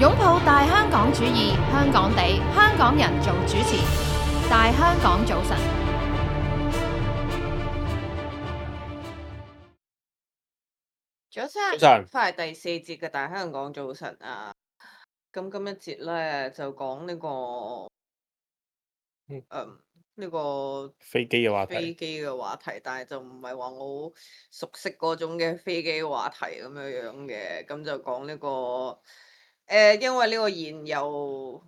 擁抱大香港主義，香港地，香港人做主持，大香港早晨。早早晨，晨，翻嚟第四節嘅大香港早晨啊！咁今一節咧就講呢、個嗯，呢、個飛機嘅話題，飛機嘅話題，但係就唔係話我好熟悉嗰種嘅飛機話題咁樣樣嘅，咁就講呢、個因為呢個燃油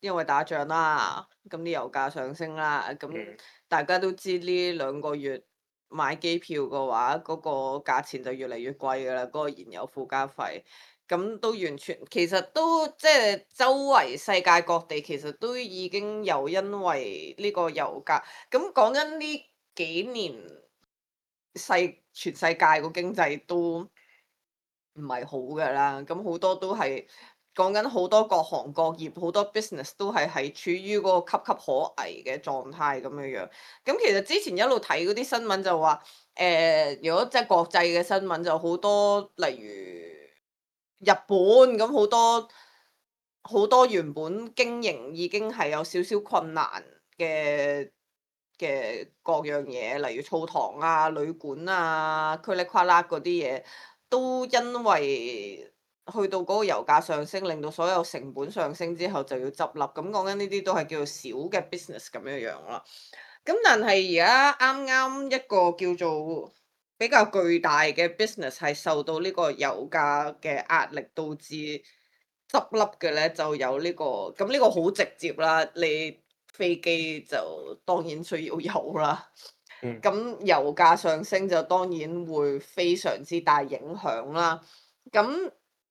因為打仗啦，咁啲油價上升啦，咁嗯，大家都知呢2個月買機票嘅話，嗰、個價錢就越嚟越貴㗎啦，嗰、個燃油附加費。咁都完全其實都即係周圍世界各地其實都已經有因為呢個油價，咁講緊呢幾年全世界個經濟都唔係好㗎啦，咁好多都係講緊好多各行各業好多 business 都係處於嗰個岌岌可危嘅狀態咁樣樣。咁其實之前一路睇嗰啲新聞就話，如果即係國際嘅新聞就好多，例如日本咁好多原本經營已經係有少少困難嘅各樣嘢，例如澡堂啊、旅館啊、噼里呱啦嗰啲嘢，都因為去到嗰個油價上升，令到所有成本上升之後就要執笠。咁講緊呢啲都係叫做小嘅 business 咁樣樣啦。咁但係而家啱啱一個叫做比較巨大嘅 business 係受到呢個油價嘅壓力導致執笠嘅咧，就有呢個咁呢個好直接啦，你飛機就當然需要油啦。嗯，咁油價上升就當然會非常之大影響啦。咁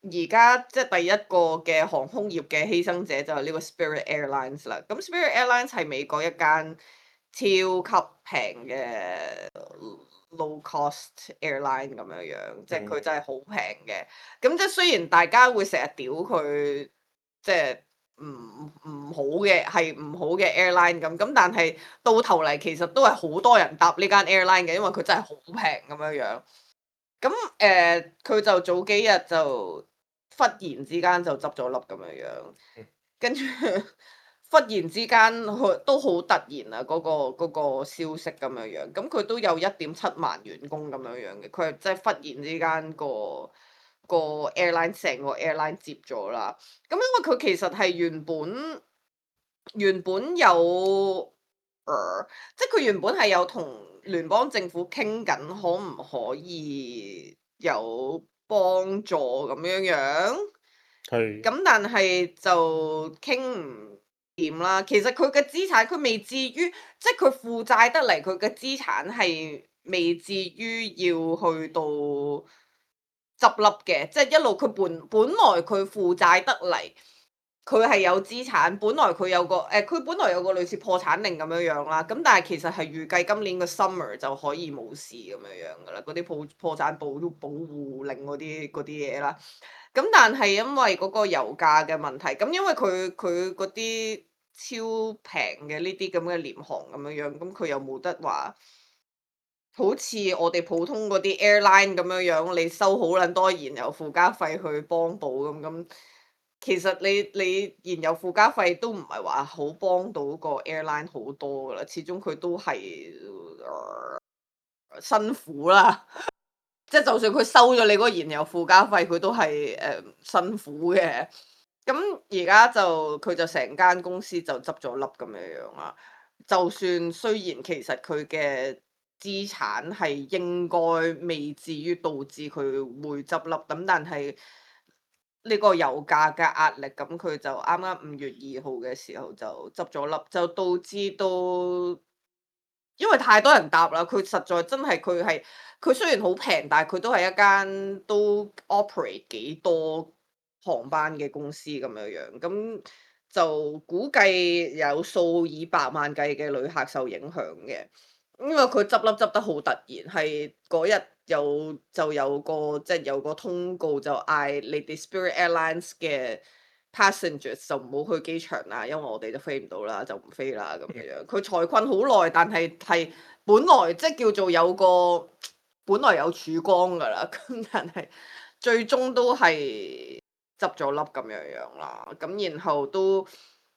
而家即係第一個嘅航空業嘅犧牲者就係呢個 Spirit Airlines 啦。咁 Spirit Airlines 係美國一間超級平嘅 low cost airline 咁樣樣，即係佢嗯，真係好平嘅。咁即係雖然大家會成日屌佢，即係唔好嘅係唔好嘅 airline 咁，但係到頭嚟其實都係好多人搭呢間 airline 嘅，因為佢真係好平咁樣樣。咁佢就早幾日就忽然之間就執咗笠咁樣樣，嗯，跟住忽然之間佢都好突然啊！嗰個消息咁樣樣，咁佢都有1.7萬員工咁樣樣嘅，佢係即係忽然之間個 airline 成個 airline 接咗啦。咁因為佢其實係原本有，即係佢原本係有同聯邦政府傾緊，可唔可以有幫助咁樣樣？係，咁但係就傾唔掂啦。其實佢嘅資產佢未至於，即係佢負債得嚟，佢嘅資產係未至於要去到執笠嘅。即係一路佢本來佢負債得嚟，佢係有資產。佢本來有個類似破產令咁樣樣啦。咁但係其實係預計今年個 summer 就可以冇事咁樣樣噶啦。嗰啲破產保護令嗰啲嘢啦。咁但係因為嗰個油價嘅問題，咁因為佢嗰啲超平嘅呢啲咁嘅廉航咁樣樣，咁佢又冇得話，好似我哋普通嗰啲 airline 咁樣樣，你收好撚多燃油附加費去幫補咁。其實你燃油附加費都唔係話好幫到個 airline 好多噶啦，始終佢都係、辛苦啦。即係就算佢收咗你嗰個燃油附加費，佢都係辛苦嘅。咁而家佢就成間公司就執咗笠咁樣樣啦。就算雖然其實佢嘅資產係應該未至於導致佢會執笠，咁但係呢個油價嘅壓力，咁佢就啱啱5月2號嘅時候就執咗笠，就導致到因為太多人搭啦，佢實在真係佢雖然好平，但係佢都係一間都 operate 幾多航班嘅公司咁樣樣，咁就估計有數以百萬計嘅旅客受影響嘅。因為佢執笠執得好突然，係嗰日就有個通告就嗌你哋 Spirit Airlines 嘅 passengers 就唔好去機場啦，因為我哋就飛唔到啦，就唔飛啦咁樣樣。佢財困好耐，但係本來即係叫做本來有曙光㗎啦，咁但係最終都係執咗笠咁樣啦。咁然後都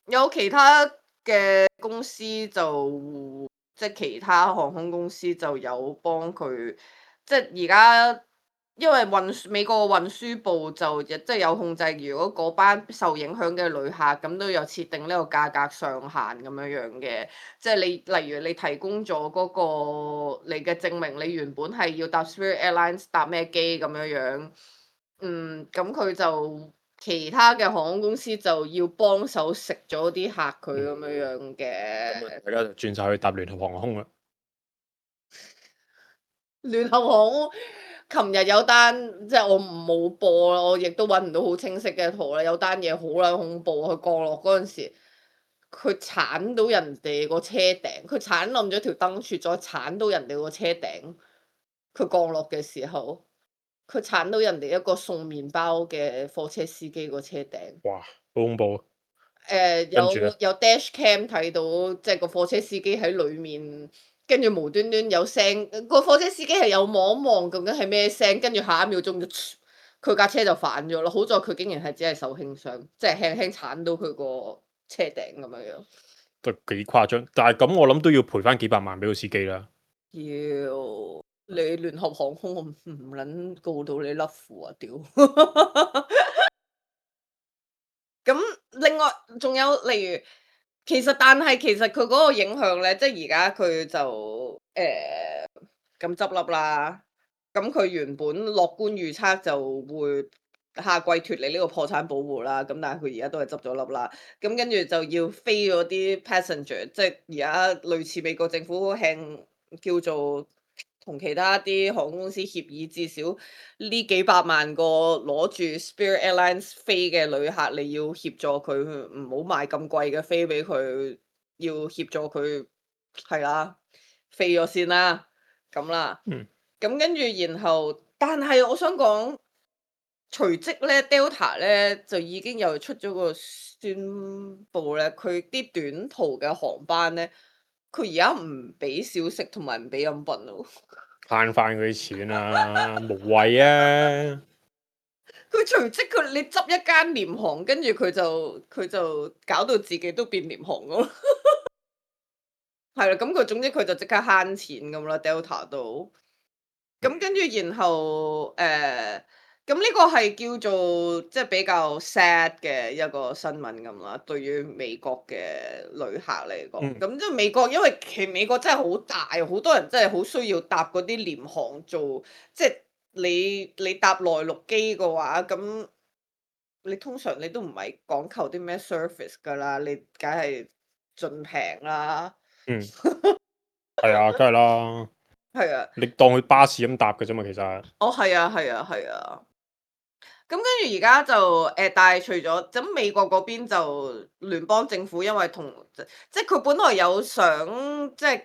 有其他嘅公司就即係其他航空公司就有幫佢，即係而家。因為美國運輸部就即係有控制，如果嗰班受影響嘅旅客咁都有設定呢個價格上限咁樣嘅，即係你例如你提供咗嗰個你嘅證明，你原本係要搭 Spirit Airlines 搭咩機咁樣，咁佢就其他嘅航空公司就要幫手食咗啲客佢咁樣嘅。大家就轉晒去搭聯合航空啦。聯合航空，琴日有單，即係我冇播啦，我亦都揾唔到好清晰嘅圖啦。有單嘢好撚恐怖，佢降落嗰陣時，佢鏟到人哋個車頂，佢鏟冧咗條燈柱，再鏟到人哋個車頂。佢降落嘅時候，佢鏟到人哋一個送麵包嘅貨車司機個車頂。哇，好恐怖啊！有跟住呢有 dash cam 睇到，即係個貨車司機喺裡面，跟住無端端有聲，個貨車司機係有望一望究竟係咩聲，跟住下一秒鐘就佢架車就反咗咯。好在佢竟然係只係受輕傷，即係輕輕鏟到佢個車頂咁樣樣。都幾誇張，但係咁我諗都要賠翻幾百萬俾個司機啦。要你聯合航空，我唔撚告到你甩褲啊！屌！咁另外仲有例如，但係其實佢嗰個影響咧，即係而家佢就咁執笠啦。咁佢原本樂觀預測就會下季脱離呢個破產保護啦。咁但係佢而家都係執咗笠啦。咁跟住就要飛嗰啲 passenger，即係而家類似美國政府向叫做。同其他啲航空公司協議，至少呢幾百萬個攞住 Spirit Airlines 飛嘅旅客，你要協助佢唔好買咁貴嘅飛俾佢，要協助佢係啦，飛咗先啦，咁啦。咁跟住然後，但係我想講，隨即咧 Delta 咧就已經又出咗個宣佈咧，佢啲短途嘅航班咧。佢而家唔俾小食同埋唔俾飲品咯，慳翻嗰啲錢啊，無謂啊！佢隨即你執一間廉航，跟住佢就搞到自己都變廉航咯，係啦，咁佢總之佢就即刻慳錢咁啦，Delta 都，咁跟住然後咁呢個係叫做即係比較 sad 嘅一個新聞咁啦，對於美國嘅旅客嚟講，咁即係美國，因為美國真係好大，好多人真係好需要搭嗰啲廉航做，即係你搭內陸機嘅話，咁你通常你都唔係講求啲咩 service 㗎啦，你梗係盡平啦。係啊，梗係啦。係啊。你當佢巴士咁搭嘅啫嘛，其實。哦，係啊，係啊，係啊。咁跟住而家就但係除咗咁美國嗰邊就聯邦政府，因為即係佢本來有想即係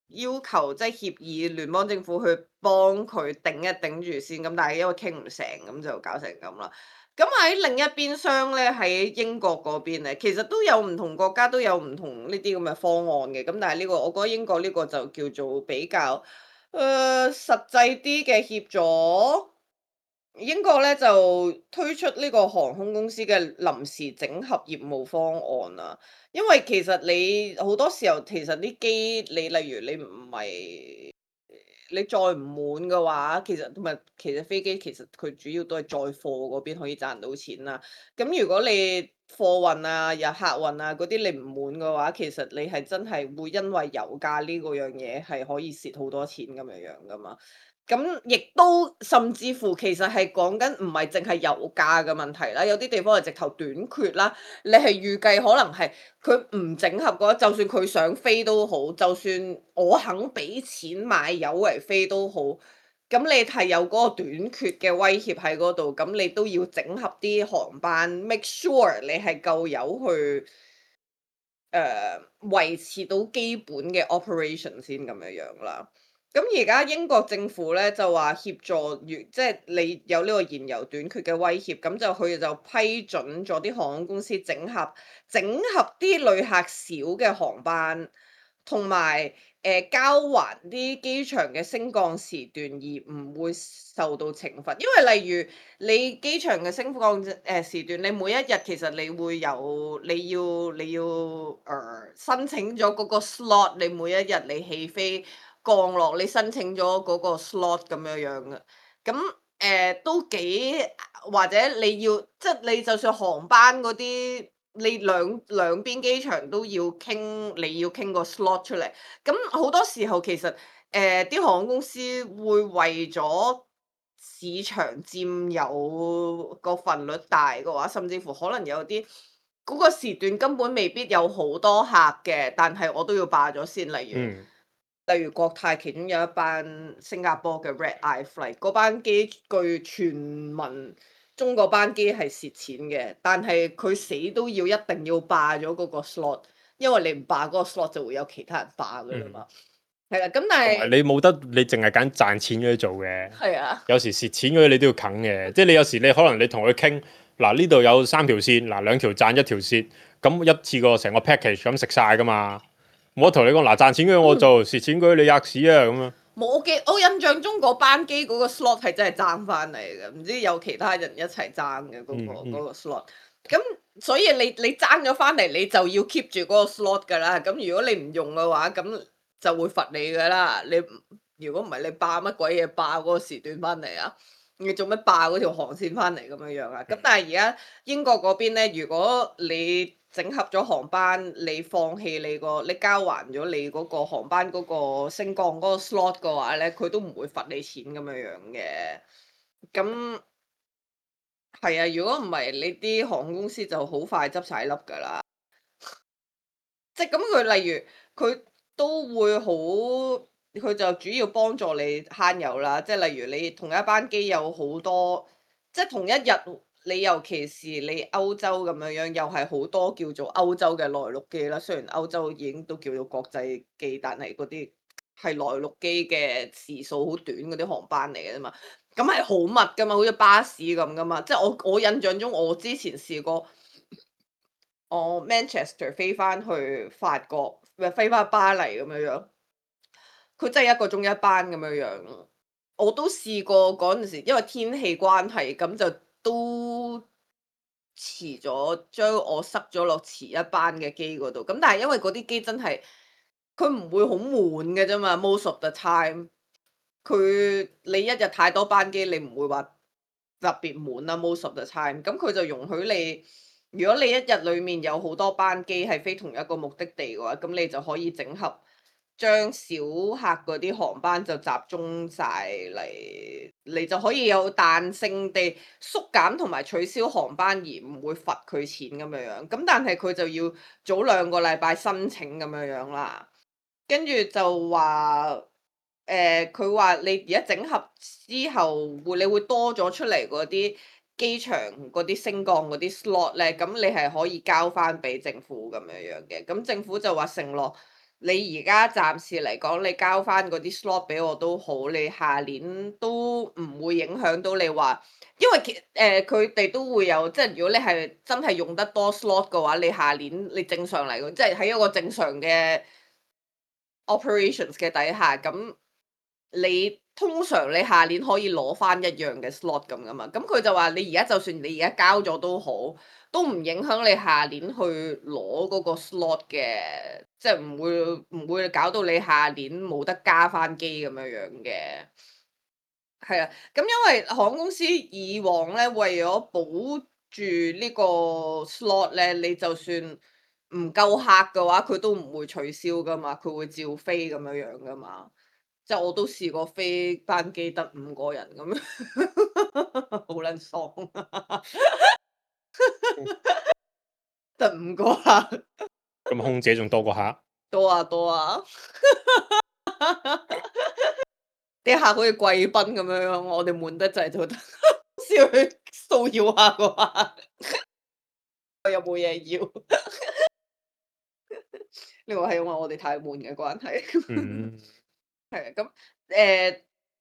要求即係協議聯邦政府去幫佢頂一頂住先，咁但係因為傾唔成，咁就搞成咁啦。咁喺另一邊廂咧，喺英國嗰邊咧，其實都有唔同國家都有唔同呢啲咁嘅方案嘅。咁但係呢個我覺得英國呢個就叫做比較實際啲嘅協助。英國咧就推出呢個航空公司嘅臨時整合業務方案啊，因為其實你好多時候其實啲機你例如你唔係你載唔滿嘅話，其實飛機其實佢主要都係載貨嗰邊可以賺到錢啦。咁如果你貨運啊、有客運啊嗰啲你唔滿嘅話，其實你係真係會因為油價呢個樣嘢係可以蝕好多錢咁樣樣噶嘛。咁亦都甚至乎其實係講緊唔係淨係油價嘅問題啦，有啲地方係直頭短缺啦。你係預計可能係佢唔整合嘅話，就算佢想飛都好，就算我肯俾錢買油嚟飛都好，咁你係有嗰個短缺嘅威脅喺嗰度，咁你都要整合啲航班，make sure 你係夠油去維持到基本嘅 operation 先咁樣樣啦。咁而家英國政府咧就話協助，即係你有呢個燃油短缺嘅威脅，咁就佢就批准咗啲航空公司整合啲旅客少嘅航班，同埋交還啲機場嘅升降時段而唔會受到懲罰，因為例如你機場嘅升降時段，你每一日其實你會有你要申請咗嗰個 slot，你每一日你起飛降落，你申請咗嗰個 slot 咁樣樣嘅，咁都幾或者你要即係你就算航班嗰啲。你兩邊機場都要傾，你要傾個 slot 出嚟。咁好多時候其實啲航空公司會為咗市場佔有個份率大嘅話，甚至乎可能有啲嗰個時段根本未必有好多客嘅，但係我都要霸咗先。例如國泰其中有一班新加坡嘅 Red Eye Flight，嗰班機據傳聞中嗰班機係蝕錢嘅，但係佢死都要一定要霸咗嗰個 slot，因為你唔霸嗰個 slot 就會有其他人霸㗎啦嘛。係啦，咁但係你冇得你淨係揀賺錢嗰啲做嘅。係啊，有時蝕錢嗰啲你都要啃嘅，即係你有時你可能你同佢傾嗱呢度有3條線，嗱2條賺1條蝕，咁一次過成個 package 咁食晒噶嘛。我同你講嗱賺錢嗰啲我做，蝕錢嗰啲你吔屎啊咁樣。我印象中嗰班機嗰個 slot 係真係爭翻嚟嘅，唔知有其他人一齊爭嘅嗰個 slot。咁所以你爭咗翻嚟，你就要 keep 住嗰個 slot 㗎啦。咁如果你唔用嘅話，咁就會罰你㗎啦。如果唔係你霸乜鬼嘢霸嗰個時段翻嚟啊？你做乜霸嗰條航線翻嚟咁樣樣啊？咁但係而家英國嗰邊咧，如果你整合咗航班，你放棄你交還咗你嗰個航班嗰個升降嗰個 slot 嘅話咧，佢都唔會罰你錢咁樣樣嘅。咁係啊，如果唔係你啲航空公司就好快執晒笠㗎啦。即係咁佢例如佢都會好，佢就主要幫助你慳油啦。即係例如你同一班機有好多，即係同一日你尤其是你歐洲咁樣樣，又係好多叫做歐洲嘅內陸機啦。雖然歐洲已經都叫做國際機，但係嗰啲係內陸機嘅時數好短嗰啲航班嚟嘅啫嘛。咁係好密㗎嘛，好似巴士咁㗎嘛。即係我印象中，我之前試過。我 Manchester 飛翻去法國，飛翻巴黎咁樣樣，佢真係1個鐘一班咁樣樣。我都試過嗰陣時，因為天氣關係，咁就都遲咗，將我塞咗落遲一班嘅機嗰度。咁但係因為嗰啲機真係佢唔會好悶嘅啫嘛，most of the time。你一日太多班機，你唔會話特別滿啦，most of the time。咁佢就容許你。如果你一日裡面有好多班機係飛同一個目的地嘅話，咁你就可以整合將小客嗰啲航班就集中晒嚟，你就可以有彈性地縮減同埋取消航班而唔會罰佢錢咁樣樣。咁但係佢就要早2個禮拜申請咁樣樣啦，跟住就話佢話你而家整合之後你會多咗出嚟嗰啲。機場嗰啲升降嗰啲 slot 咧，咁你係可以交翻俾政府咁樣樣嘅。咁政府就話承諾，你而家暫時嚟講，你交翻嗰啲 slot 俾我都好，你下年都唔會影響到你話，因為佢哋都會有，即係如果你係真係用得多 slot 嘅話，你下年你正常嚟講，即係喺一個正常嘅 operations 嘅底下，咁你。通常你下年可以攞翻一樣嘅 slot 咁噶嘛，咁佢就話你而家就算你而家交咗都好，都唔影響你下年去攞嗰個 slot 嘅，即係唔會搞到你下年冇得加翻機咁樣樣嘅。係啊，咁因為航空公司以往咧為咗保住呢個 slot 咧，你就算唔夠客嘅話，佢都唔會取消噶嘛，佢會照飛咁樣樣噶嘛。即係我都試過飛班機得5個人咁樣，好撚爽啊！得5個客，咁空姐仲多過客？多啊多啊！啲客好似貴賓咁樣，我哋悶得滯就得先去騷擾下個客，我有冇嘢要？呢個係因為我哋太悶嘅關係。係啊，咁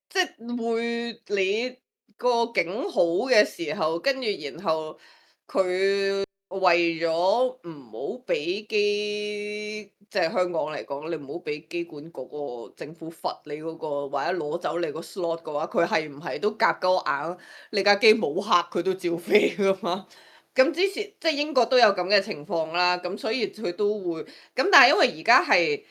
即係會你個景好嘅時候，跟住然後佢為咗唔好俾即係香港嚟講，你唔好俾機管局個政府罰你嗰個，或者攞走你個 slot 嘅話，佢係唔係都夾鳩硬？你架機冇客佢都照飛噶嘛？咁之前即係英國都有咁嘅情況啦，咁所以佢都會咁，但係因為而家係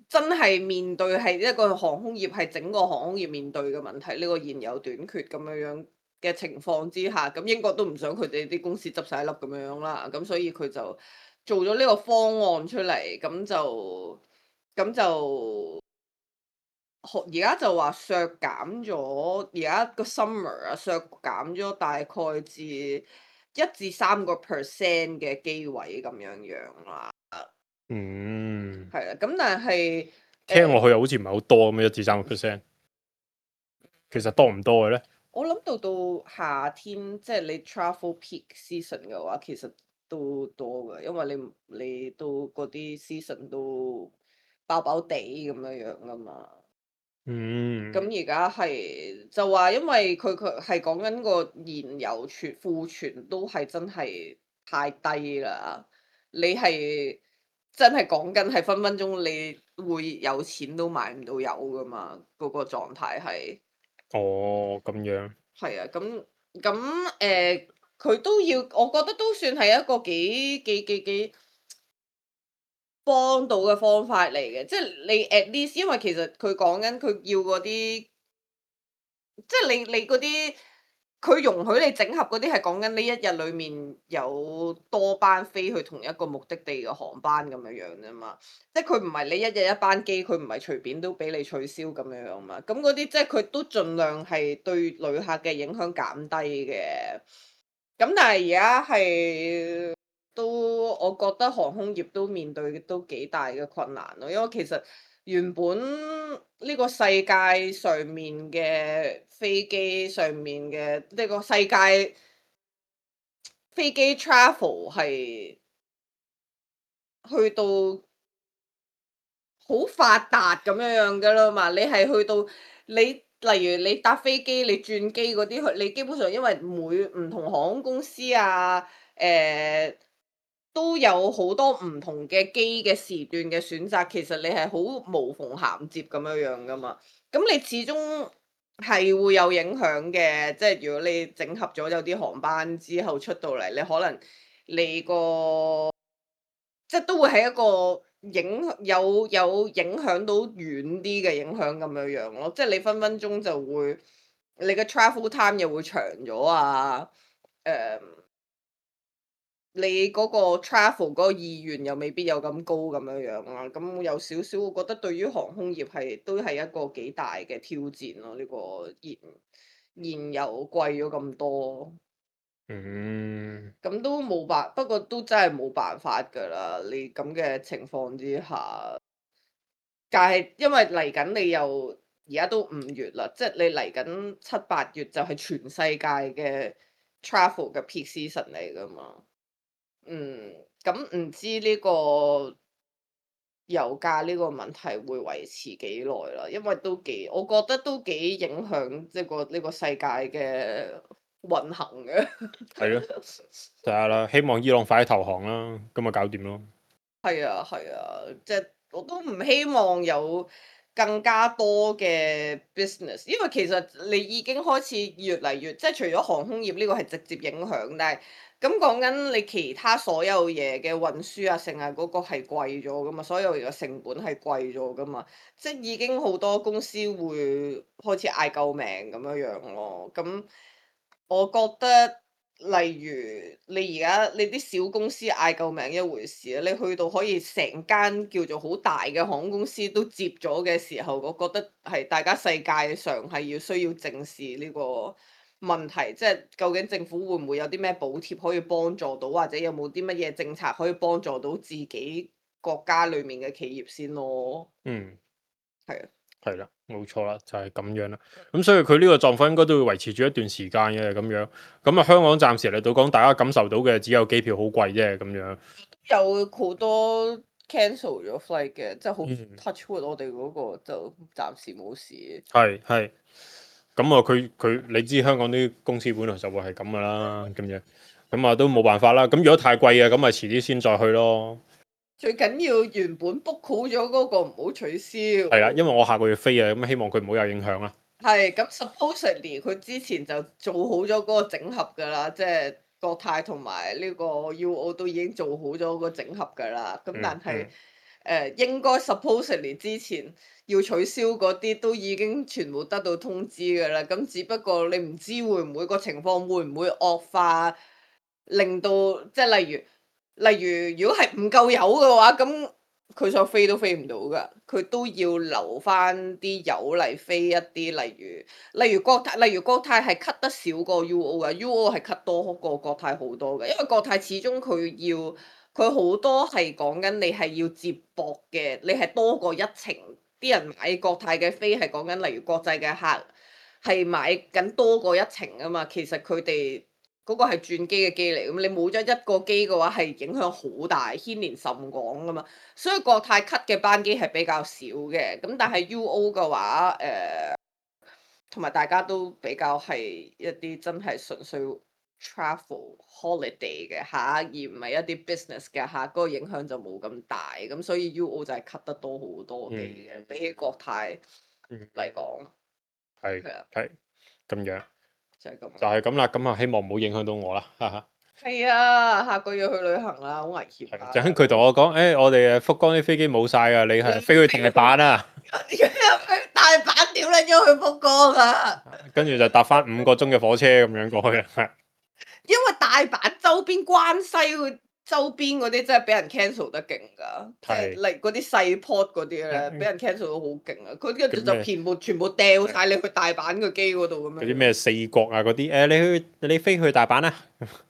真係面對係一個航空業係整個航空業面對嘅問題，呢個現有短缺咁樣嘅情況之下，咁英國都唔想佢哋啲公司執晒粒咁樣啦，咁所以佢就做咗呢個方案出嚟，咁就而家就話削減咗，而家個 summer 啊削減咗大概至1至3%嘅機位咁樣啦，嗯，係啦，咁但係聽落去又好似唔係好多咁樣1至3%，其實多唔多嘅咧？我諗到夏天，即係你 travel peak season 嘅話，其實都多嘅，因為你都嗰啲 season 都爆爆地咁樣噶嘛。嗯，咁而家係就話，因為佢係講緊個燃油庫存都係真係太低啦。你係真係講緊係分分鐘你會有錢都買唔到油噶嘛？嗰個狀態係。哦，咁樣，係啊，咁佢都要，我覺得都算係一個幾幫到嘅方法嚟嘅，即係你 at least，因為其實佢講緊佢要嗰啲，即係你嗰啲，佢容許你整合嗰啲係講緊你一日裡面有多班飛去同一個目的地嘅航班咁樣啫嘛，即係佢唔係你一日一班機，佢唔係隨便都俾你取消咁樣嘛，咁嗰啲即係佢都盡量係對旅客嘅影響減低嘅，咁但係而家係都我覺得航空業都面對都幾大嘅困難咯，因為其實原本呢個世界上面嘅飛機上面嘅呢個世界飛機 travel 係去到好發達咁樣噶啦嘛，你係去到你例如你搭飛機你轉機嗰啲，你基本上因為每唔同航空公司啊，都有好多唔同嘅機嘅時段嘅選擇，其實你係好無縫銜接咁樣噶嘛，咁你始終係會有影響嘅，即係如果你整合咗有啲航班之後出到嚟，你可能你個即係都會係一個有影響到遠啲嘅影響咁樣咯，即係你分分鐘就會你嘅 travel time 又會長咗啊，誒、你嗰個 travel 嗰個意願又未必有咁高咁樣啦，咁有少少我覺得對於航空業都係一個幾大嘅挑戰咯，呢個燃油貴咗咁多。嗯，咁都冇不過都真係冇辦法㗎啦！你咁嘅情況之下，但係因為嚟緊你又而家都5月啦，即係你嚟緊7、8月就係全世界嘅 travel 嘅 peak season 嚟㗎嘛。咁唔知呢個油價呢個問題會維持幾耐啦？因為我覺得都幾影響即係呢個世界嘅運行嘅。係咯，睇下啦，希望伊朗快啲投降啦，咁咪搞掂咯。係啊，係啊，即係我都唔希望有更加多嘅 business，因為其實你已經開始越嚟越，即係除咗航空業呢個係直接影響，但係咁講緊你其他所有嘢嘅運輸啊，成日嗰個係貴咗噶嘛，所有嘢嘅成本係貴咗噶嘛，即係已經好多公司會開始嗌救命咁樣咯，咁我覺得。例如你而家你啲小公司嗌救命一回事啊，你去到可以成間叫做好大嘅航空公司都接咗嘅時候，我覺得係大家世界上係需要正視呢個問題，即係究竟政府會唔會有啲咩補貼可以幫助到，或者有冇啲乜嘢政策可以幫助到自己國家裡面嘅企業先咯。嗯，係啊。係啦，冇錯啦，就係咁樣啦。咁所以佢呢個狀況應該都會維持住一段時間嘅咁樣。咁啊，香港暫時嚟到講，大家感受到嘅只有機票好貴啫咁樣。有好多 cancel 咗 flight 嘅，即係好嗯 touch wood，我哋嗰個就暫時冇事。係係。咁啊，你知香港啲公司本來就會係咁噶啦，咁樣。咁啊都冇辦法啦。咁如果太貴嘅，咁咪遲啲先再去咯。最緊要原本 book 好咗嗰個唔好取消。係啦，因為我下個月飛啊，咁希望佢唔好有影響啦。係咁 supposedly 佢之前就做好咗嗰個整合㗎啦，即係國泰同埋呢個 UO 都已經做好咗個整合㗎啦。咁但係應該 supposedly 之前要取消嗰啲都已經全部得到通知㗎啦。咁只不過你唔知會唔會個情況會唔會惡化，令到即係例如如果係唔夠油嘅話，咁佢想飛都飛唔到㗎，佢都要留翻啲油嚟飛一啲，例如國泰係 cut 得少過 UO 嘅，UO 係 cut 多過國泰好多嘅，因為國泰始終佢好多係講緊你係要接駁嘅，你係多過一程，啲人買國泰嘅飛係講緊，例如國際嘅客係買緊多過一程啊嘛，其實佢哋。嗰個係轉機嘅機嚟，咁你冇咗一個機嘅話，係影響好大，牽連甚廣噶嘛。所以國泰 cut 嘅班機係比較少嘅，咁但係 UO 嘅話，同埋大家都比較係一啲真係純粹 travel holiday 嘅客，而唔係一啲 business 嘅客，嗰個影響就冇咁大。咁所以 UO 就係 cut 得多好多嘅，比起國泰嚟講。係咁樣。就係咁啦，咁啊希望唔好影響到我啦，哈哈。係啊，下個月去旅行啦，好危險啊！就佢同我講，我哋福岡啲飛機冇晒啊，你係飛去大阪啊？大阪點撚咗去福岡啊？跟住就搭翻5個鐘嘅火車咁樣過去啦。因為大阪周邊關西周邊嗰啲真係俾人 cancel 得勁㗎，即係例如嗰啲細 port 嗰啲咧，俾人 cancel 到好勁啊！佢跟住就全部掉晒你去大阪個機嗰度咁樣。嗰啲咩4國啊嗰啲，你飛去大阪啊？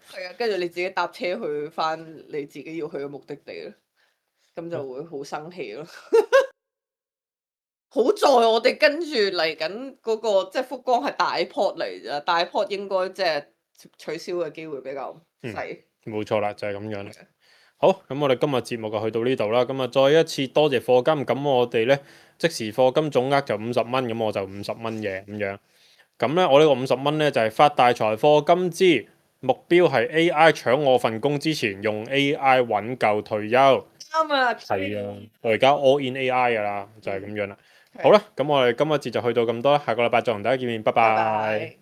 係啊，跟住你自己搭車去翻你自己要去嘅目的地咯，咁就會好生氣咯。好在我哋跟住嚟緊嗰個即係福岡係大 port 嚟咋，大 port 應該即係取消嘅機會比較細。冇錯啦，就係咁樣啦。好，咁我哋今日節目就去到呢度啦。咁啊，再一次多謝課金。咁我哋咧即時課金總額就50蚊，咁我就50蚊嘅咁樣。咁咧我呢個50蚊咧就係發大財課金之目標係 AI 搶我份工之前用 AI 揾夠退休。啱啊！係啊，我而家 all in AI 噶啦，就係咁樣啦。好啦，咁我哋今日節就去到咁多啦。下個禮拜再同大家見面，拜拜。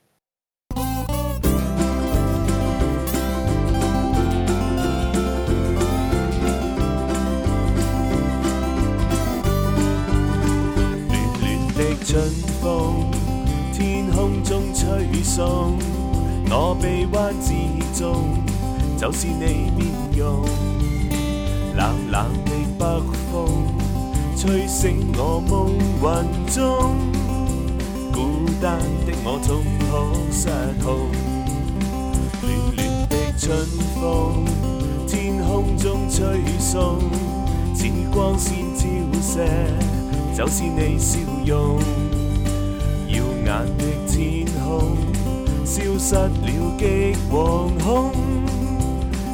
春風，天空中吹送，我臂彎之中，就是你面容。冷冷的北風，吹醒我夢魂中，孤單的我總可失控。暖暖的春風，天空中吹送，似光線照射。就是你笑容，耀眼的天空，消失了極惶恐，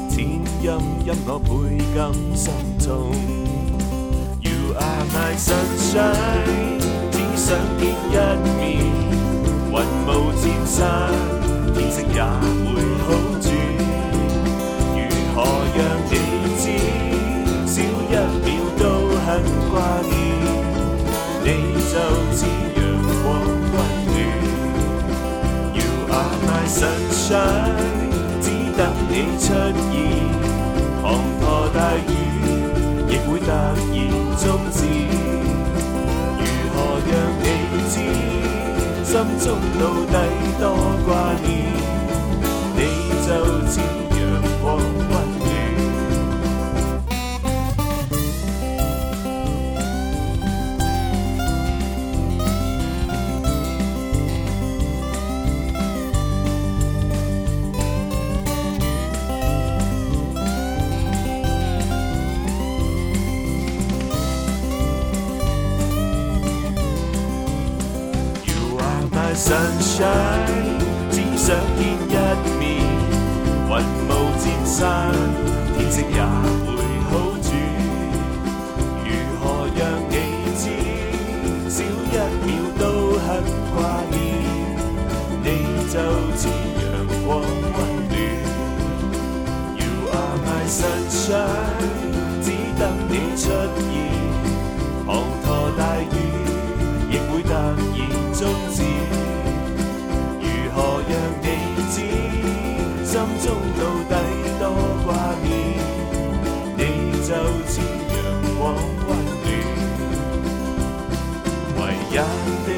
天陰陰我倍感心痛。You are my sunshine， 只想見一面，雲霧漸散，天色也會好轉。如何讓你知，少一秒都很掛念。你就似陽光溫暖 You are my sunshine， 只等你出現，滂沱大雨亦會突然終止。如何讓你知，心中到底多掛念，你就似陽光溫暖。Sunshine， 只想見一面，雲霧漸散，天色也會好轉。如何讓你知，少一秒都很掛念，你就似陽光溫暖。實相，只等你出現。滂沱大雨亦會突然終止。如何讓你知，心中到底多掛念？你就似陽光溫暖，唯一的